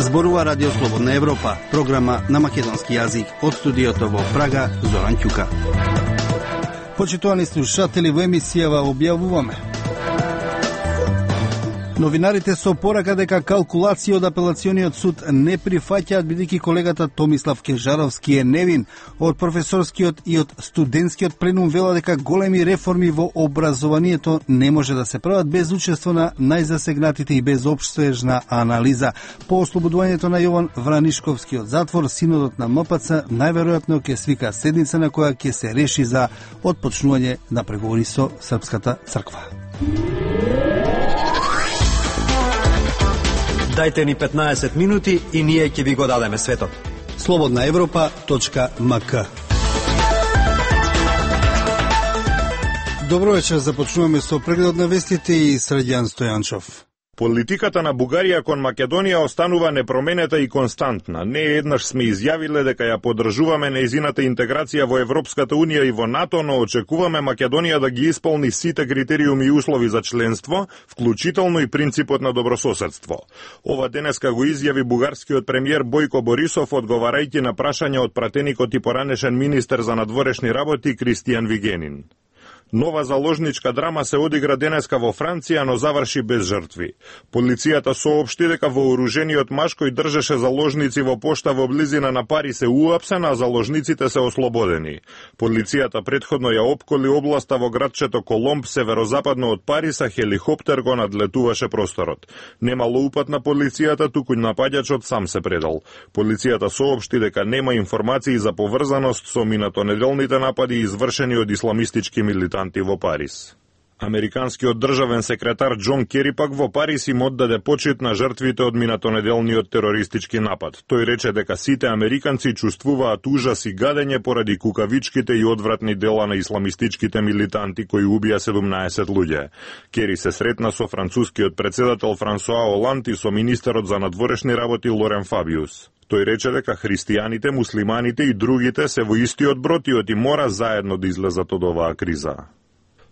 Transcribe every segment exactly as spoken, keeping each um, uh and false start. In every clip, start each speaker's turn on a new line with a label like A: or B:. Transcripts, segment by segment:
A: Зборува Радио Слободна Европа, програма на македонски јазик од студиото во Прага, Зоран Ќука. Почитувани слушатели, во емисијава објавуваме: новинарите со порака дека калкулација од апелациониот суд не прифаќаат, бидејќи колегата Томислав Кежаровски е невин. Од професорскиот и од студентскиот пленум вела дека големи реформи во образованието не може да се прават без учество на најзасегнатите и без општежна анализа. По ослободувањето на Јован Вранишковски од затвор, синодот на М П Ц најверојатно ќе свика седница на која ќе се реши за отпочнување на преговори со Српската црква.
B: Дајте ни петнаесет минути и ние ќе ви го дадеме светот.
A: слободна европа точка м к. Добро вечер, започнуваме со прегледот на вестите и Средјан Стојанчов.
C: Политиката на Бугарија кон Македонија останува непроменета и константна. Не еднаш сме изјавиле дека ја поддржуваме нејзината интеграција во Европската Унија и во НАТО, но очекуваме Македонија да ги исполни сите критериуми и услови за членство, вклучително и принципот на добрососедство. Ова денеска го изјави бугарскиот премиер Бојко Борисов, одговарајќи на прашање од пратеникот и поранешен министер за надворешни работи Кристијан Вигенин. Нова заложничка драма се одигра денеска во Франција, но заврши без жртви. Полицијата соопшти дека вооружениот маж кој држеше заложници во пошта во близина на Париз е уапсен, а заложниците се ослободени. Полицијата претходно ја опколи областа во градчето Коломб, северозападно од Париз, а хеликоптер го надлетуваше просторот. Немало упат на полицијата, туку напаѓачот сам се предал. Полицијата соопшти дека нема информации за поврзаност со минатонеделните напади извршени од исламистички милитанти во Париз. Американскиот државен секретар Џон Кери пак во Париз им оддаде почит на жртвите од минатонеделниот терористички напад. Тој рече дека сите американци чувствуваат ужас и гадење поради кукавичките и одвратни дела на исламистичките милитанти кои убија седумнаесет луѓе. Кери се сретна со францускиот председател Франсуа Оланд и со министерот за надворешни работи Лорен Фабиус. Тој рече дека христијаните, муслиманите и другите се во истиот брод и мора заедно да излезат од оваа криза.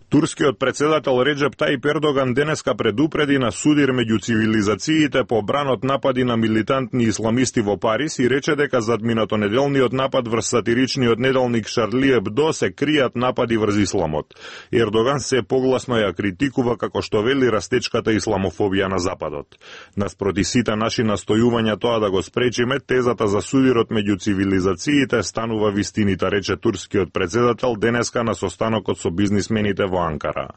C: Турскиот председател Реджеп Тајип Ердоган денеска предупреди на судир меѓу цивилизациите по бранот напади на милитантни исламисти во Париз и рече дека зад минатонеделниот напад врз сатиричниот неделник Шарли Ебдо се кријат напади врз исламот. Ердоган се погласно ја критикува како што вели растечката исламофобија на Западот. Наспроти сите наши настојувања тоа да го спречиме, тезата за судирот меѓу цивилизациите станува вистинита, рече турскиот председател денеска на состанокот со бизнисмените во Анкара.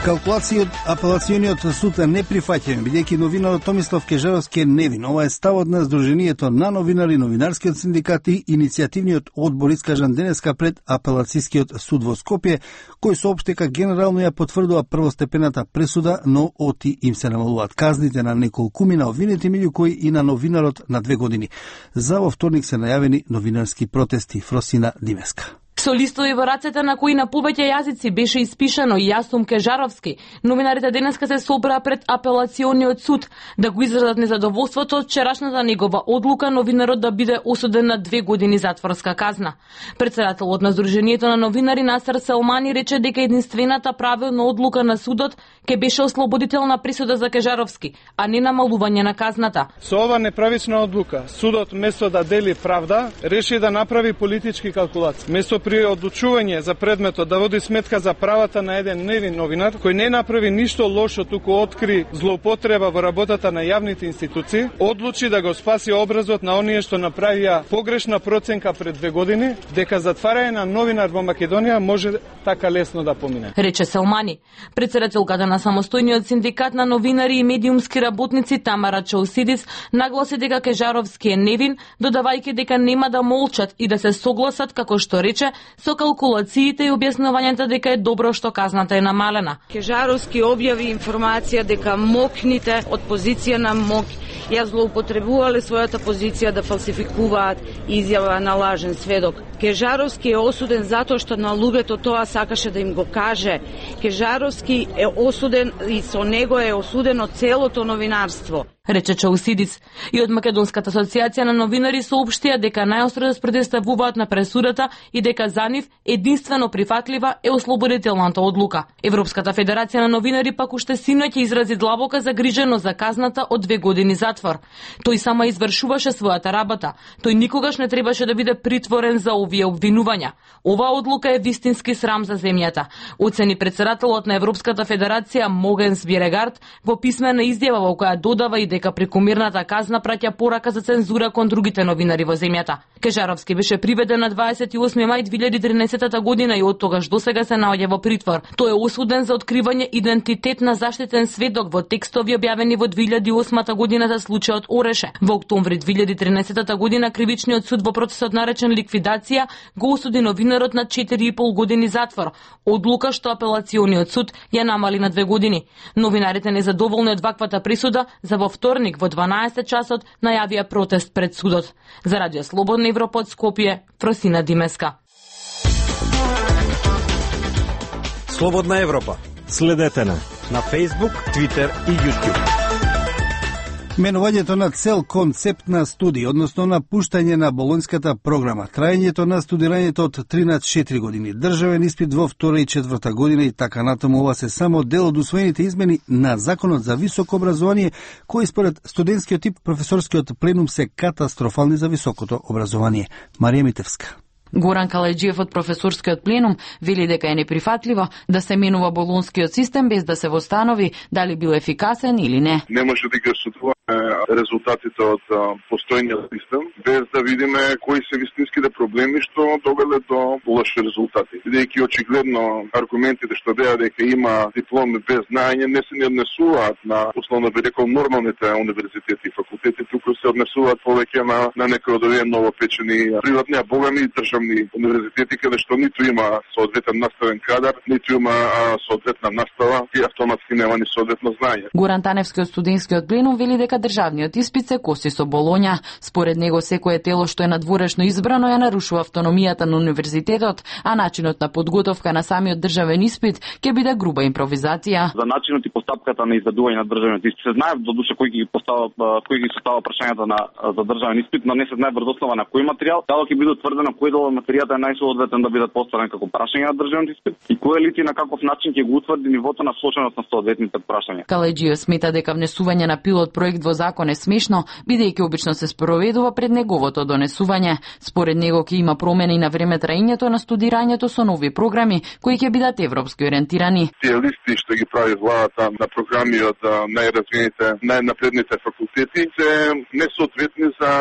A: Калкулација од апелациониот суд не прифаќање, бидејќи новинарот Томислав Кежаровски е невин. Ова е ставот на Сдруженијето на новинари, новинарскиот синдикат и иницијативниот одбор искажан денеска пред апелацијскиот суд во Скопје, кој соопшти дека генерално ја потврдува првостепената пресуда, но оти им се намалуваат казните на неколкумина обвинети, меѓу кои и на новинарот на две години. За во вторник се најавени новинарски протести. Фросина Димеска.
D: Со листови во рацете на кои на повеќе јазици беше испишано Јасум Кежаровски, новинарите денеска се собраа пред апелациониот суд да го изразат незадоволството од вчерашната негова одлука новинарот да биде осуден на две години затворска казна. Председателот на Сдруженијето на новинари Насер Селмани рече дека единствената правилна одлука на судот ќе беше ослободителна присуда за Кежаровски, а не намалување на казната.
E: Со ова неправична одлука, судот место да дели правда, реши да направи политички калкулации. Место при одлучување за предметот да води сметка за правата на еден невин новинар, кој не направи ништо лошо, туку откри злоупотреба во работата на јавните институции, одлучи да го спаси образот на оние што направија погрешна проценка пред две години, дека затварање на новинар во Македонија може така лесно да помине.
D: Рече Селмани. Председателката на самостојниот синдикат на новинари и медиумски работници Тамара Чаусидис нагласи дека Кежаровски е невин, додавајќи дека нема да молчат и да се согласат, како што рече, со калкулациите и објаснувањето дека е добро што казната е намалена.
F: Кежаровски објави информација дека мокните од позиција на МОК ја злоупотребувале својата позиција да фалсификуваат изјава на лажен сведок. Кежаровски е осуден затоа што на луѓето тоа сакаше да им го каже. Кежаровски е осуден и со него е осудено целото новинарство.
D: рече Чаусидис. И од Македонската асоциација на новинари соопштија дека најостро да спротивставуваат на пресудата и дека за нив единствено прифатлива е ослободителната одлука. Европската федерација на новинари пак уште синоќ изрази длабока загриженост за казната од две години затвор. Тој само извршуваше својата работа. Тој никогаш не требаше да биде притворен за овие обвинувања. Оваа одлука е вистински срам за земјата, оцени претседателот на Европската федерација Могенс Бирегард во писмена изјава во која додава и дека прекомерната казна праќа порака за цензура кон другите новинари во земјата. Кежаровски беше приведен на дваесет и осми мај две илјади и тринаесетта година и од тогаш досега се наоѓа во притвор. Тој е осуден за откривање идентитет на заштитен сведок во текстови објавени во две илјади и осма година за случајот Ореше. Во октомври две илјади и тринаесетта година кривичниот суд во процесот наречен ликвидација го осуди новинарот на четири и пол години затвор, одлука што апелациониот суд ја намали на две години. Новинарите незадоволни од ваквата присуда за во вторник во дванаесет часот најавија протест пред судот. За Радио Слободна Европа од Скопје, Фросина Димеска.
B: Слободна Европа. Следете на на Facebook, Twitter и YouTube.
A: Менувањето на цел концепт на студија, односно напуштање на болонската програма, трајањето на студирањето од три на четири години, државен испит во втора и четврта година и така натаму, ова се само дел од усвоените измени на Законот за високо образование, кои според студентскиот тип професорскиот пленум се катастрофални за високото образование. Марија Митевска.
G: Горан Калајджиев од професорскиот пленум вели дека е неприфатливо да се менува болонскиот систем без да се востанови дали бил ефикасен или не.
H: Не може да ги осудуваме резултатите од постојниот систем без да видиме кои се вистинските проблеми што довеле до лоши резултати. Бидејќи очигледно аргументите што деа дека има дипломи без знаење не се не однесуваат на, условно би рекол, нормалните универзитети и факултети, туку се однесуваат повеќе на на некои од овие новопечени приватни, а богами државни универзитети каде што ниту има соодветен наставен кадар, ниту има а, соодветна настава и автоматски нема ни соодветно знаење.
G: Горан Таневски од студентскиот пленум вели дека државниот испит се коси со Болоња. Според него секое тело што е надворешно избрано ја нарушува автономијата на универзитетот, а начинот на подготовка на самиот државен испит ќе биде груба импровизација.
I: За начинот и постапката на изведување на државниот испит се знае до душа кој ги постава кој ги состава прашањата на за државен испит, но не се знае врз основа на кој материјал, дали ќе биде утврдено кој дел од материјата е најсоодветен да биде поставен како прашање на државниот испит и кој лице на каков начин ќе го утврди нивото на сложеност на соодветните прашања.
G: Калајджиев смета дека внесување на пилот проект во закон е смешно, бидејќи обично се спроведува пред неговото донесување. Според него ќе има промени на време траењето на студирањето со нови програми кои ќе бидат европски ориентирани.
H: Тие листи што ги прави владата на програми од најразвиените, најнапредните факултети се несоодветни за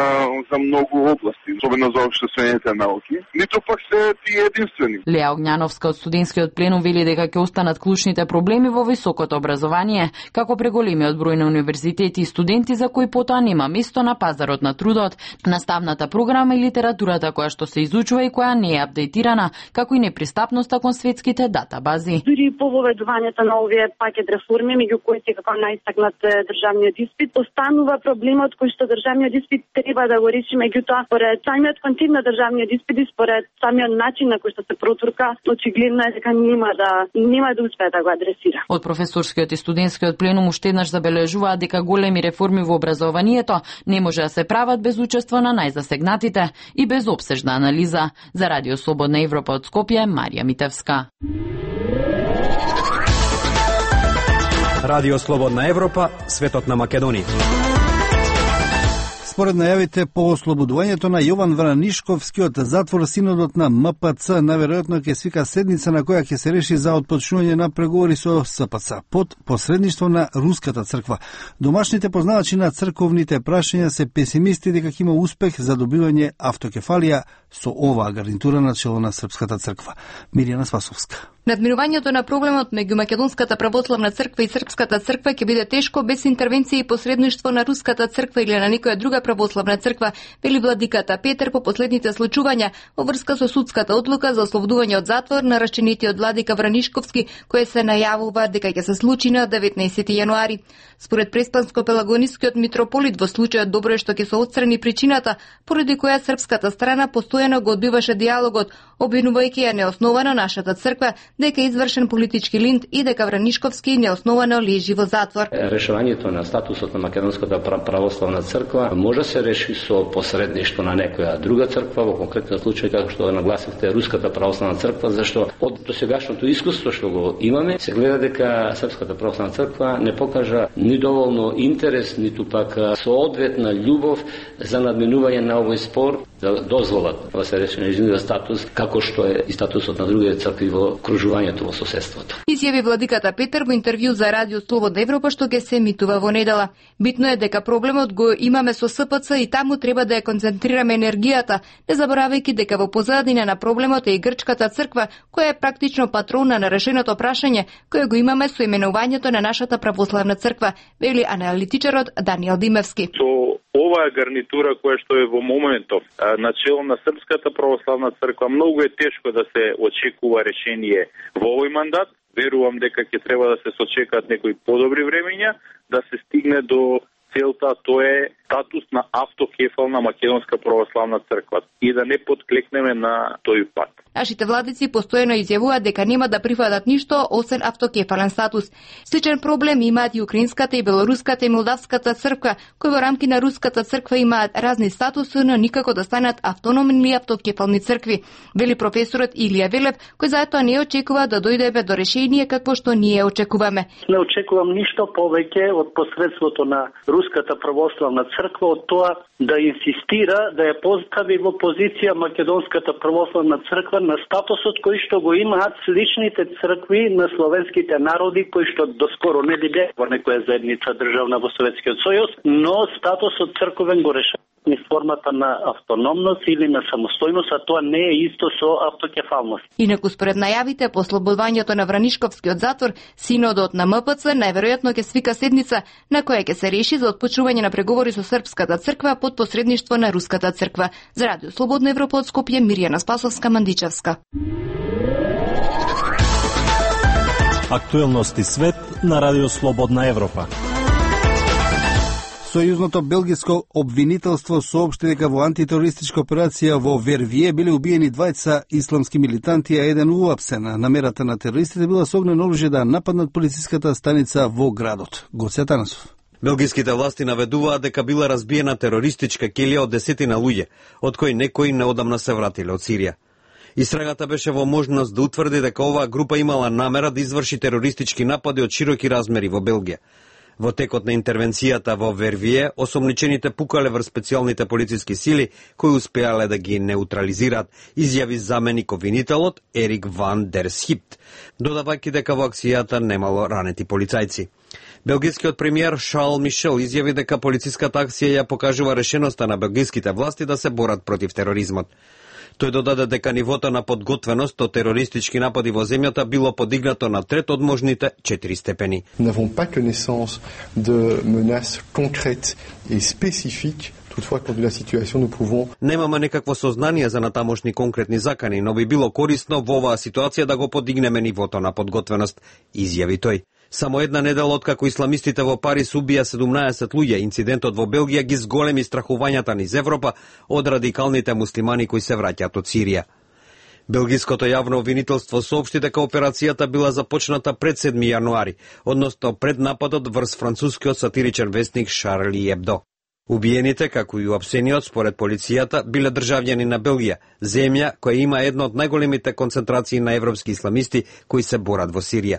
H: за многу области, особено за општествените науки. Ниту пак се тие единствени.
G: Леа Огњановска од студентскиот пленум вели дека ќе останат клучните проблеми во високото образование, како преголемиот број на универзитети и студенти за кои потоа нема место на пазарот на трудот, наставната програма и литературата која што се изучува и која не е апдейтирана, како и непристапноста кон светските датабази.
J: Дури по воведувањето на овие пакет реформи, меѓу кои се како најстакнат државниот испит, останува проблемот кој што државниот испит треба да го реши, меѓутоа според самиот концепт на државниот испит и според самиот начин на кој што се протурка, очигледно е дека нема да нема да успее да го адресира.
G: Од професорскиот и студентскиот пленум уште еднаш забележуваат дека големи реформи во образованието не може да се прават без учество на најзасегнатите и без опсежна анализа. За Радио Слободна Европа од Скопје, Марија Митевска.
B: Радио Слободна Европа, светот на Македонија.
A: Според најавите по ослободувањето на Јован Вранишковски од затвор, синодот на М П Ц наверојатно ќе свика седница на која ќе се реши за отпочнување на преговори со С П Ц под посредништво на Руската црква. Домашните познавачи на црковните прашања се песимисти дека ќе има успех за добивање автокефалија со оваа гарнитура на чело на Српската црква. Мирјана Спасовска.
K: Надмирувањето на проблемот меѓу Македонската православна црква и Српската црква ќе биде тешко без интервенција и посредништво на Руската црква или на некоја друга православна црква, вели владиката Петер по последните случувања во врска со судската одлука за ослободување од затвор на раченитиот владика Вранишковски, кој се најавува дека ќе се случи на деветнаесети јануари. Според преспанско-пелагонискиот митрополит, во случајот добро е што ќе се отстрани причината поради која српската страна постојано го одбиваше диалогот, обвинувајќи ја неосновано нашата црква дека е извршен политички линт и дека Вранишковски неосновано лежи во затвор.
L: Решувањето на статусот на Македонската православна црква може се реши со посредништво на некоја друга црква, во конкретен случај како што нагласивте Руската православна црква, зашто од досегашното искуство што го имаме се гледа дека Српската православна црква не покажа ни доволно интерес, ниту пак соодветна љубов за надменување на овој спор, да дозволат да се реши нејзиниот статус како што е и статусот на другите цркви во окружувањето во соседството.
K: Изјави владиката Петер во интервју за Радио Слободна Европа што ќе се емитува во недела. Битно е дека проблемот го имаме со С П Ц и таму треба да ја концентрираме енергијата, не заборавајќи дека во позадина на проблемот е и Грчката црква, која е практично патрона на решеното прашање кое го имаме со именувањето на нашата православна црква, вели аналитичарот Даниел Димевски.
M: Оваа гарнитура која што е во моментов начело на Српската православна црква, многу е тешко да се очекува решение во овој мандат. Верувам дека ќе треба да се сочекаат некои подобри времења да се стигне до целта, тоа е статус на автокефална Македонска православна црква и да не подклекнеме на тој пат.
K: Нашите владици постојано изјавуваат дека нема да прифатат ништо освен автокефален статус. Сличен проблем имаат и украинската и белоруската и молдавската црква, кои во рамки на руската црква имаат разни статуси, но никако да станат автономни автокефални цркви, вели професорот Илија Велев, кој затоа не очекува да дојдеме до решение какво што ние очекуваме.
N: Не очекувам ништо повеќе од посредството на Руската православна црква од тоа да инсистира да ја постави во позиција Македонската православна црква на статусот кој што го имаат сличните цркви на словенските народи кои што доскоро не биде во некоја заедница државна во Советскиот сојуз, но статусот црковен го решава ни формата на автономност или на самостојност, а тоа не е исто со автокефалност.
K: Инаку според најавите по ослободувањето на Вранишковскиот затвор, синодот на М П Ц најверојатно ќе свика седница на која ќе се реши за отпочнување на преговори со Српската црква под посредништво на Руската црква. За Радио Слободна Европа од Скопје, Мирјана Спасовска, Мандичевска.
B: Актуелности свет на Радио Слободна Европа.
A: Сојузното белгиско обвинителство соопшти дека во антитерористичка операција во Вервие биле убиени двајца исламски милитанти, а еден уапсен. Намерата на терористите била со огнено оружје да нападнат полициската станица во градот. Гоце Атанасов.
O: Белгиските власти наведуваат дека била разбиена терористичка ќелија од десетина луѓе, од кои некои неодамна се вратиле од Сирија. Истрагата беше во можност да утврди дека оваа група имала намера да изврши терористички напади од широки размери во Белгија. Во текот на интервенцијата во Вервие, осомничените пукале врз специјалните полициски сили, кои успеале да ги неутрализираат, изјави заменик обвинителот Ерик Ван дер Схипт, додавајќи дека во акцијата немало ранети полицајци. Белгискиот премиер Шарл Мишел изјави дека полициската акција ја покажува решеноста на белгиските власти да се борат против тероризмот. Тој додаде дека нивото на подготвеност од терористички напади во земјата било подигнато на трет од можните четири степени.
P: N'avons pas connaissance de menaces concrètes et spécifiques. Toutefois, compte tenu de la situation, nous pouvons...
O: Немаме некакво сознание за натамошни конкретни закани, но би било корисно во оваа ситуација да го подигнеме нивото на подготвеност, изјави тој. Само една недела откако исламистите во Париз убија седумнаесет луѓе, инцидентот во Белгија ги зголеми страхувањата низ Европа од радикалните муслимани кои се враќаат од Сирија. Белгиското јавно обвинителство соопшти дека операцијата била започната пред седми јануари, односно пред нападот врз францускиот сатиричен вестник Шарли Ебдо. Убиените, како и уапсениот, според полицијата, биле државјани на Белгија, земја која има една од најголемите концентрации на европски исламисти кои се борат во Сирија.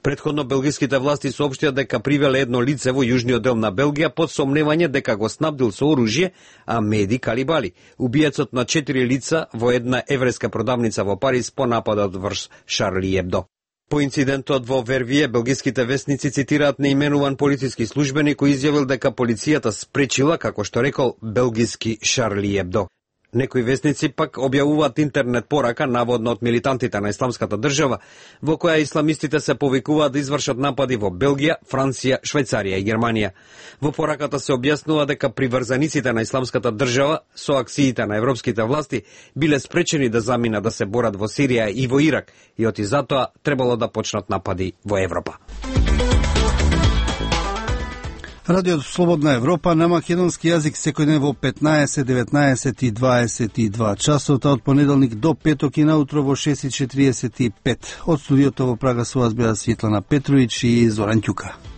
O: Претходно белгиските власти соопштија дека привеле едно лице во јужниот дел на Белгија под сомневање дека го снабдил со оружје Амеди Калибали, убиецот на четири лица во една еврејска продавница во Париз по нападот врз Шарли Ебдо. По инцидентот во Вервие, белгиските вестници цитираат неименуван полициски службеник кој изјавил дека полицијата спречила, како што рекол, белгиски Шарли Ебдо. Некои вестници пак објавуваат интернет порака, наводно од милитантите на Исламската држава, во која исламистите се повикуваат да извршат напади во Белгија, Франција, Швајцарија и Германија. Во пораката се објаснува дека приврзаниците на Исламската држава со акциите на европските власти биле спречени да заминат да се борат во Сирија и во Ирак и оти затоа требало да почнат напади во Европа.
A: Радиото Слободна Европа на македонски јазик секој ден во петнаесет, деветнаесет и дваесет и два часот, од понеделник до петок и наутро во шест и четириесет и пет. Од студиото во Прага со вас беа Светлана Петровиќ и Зоран Ќука.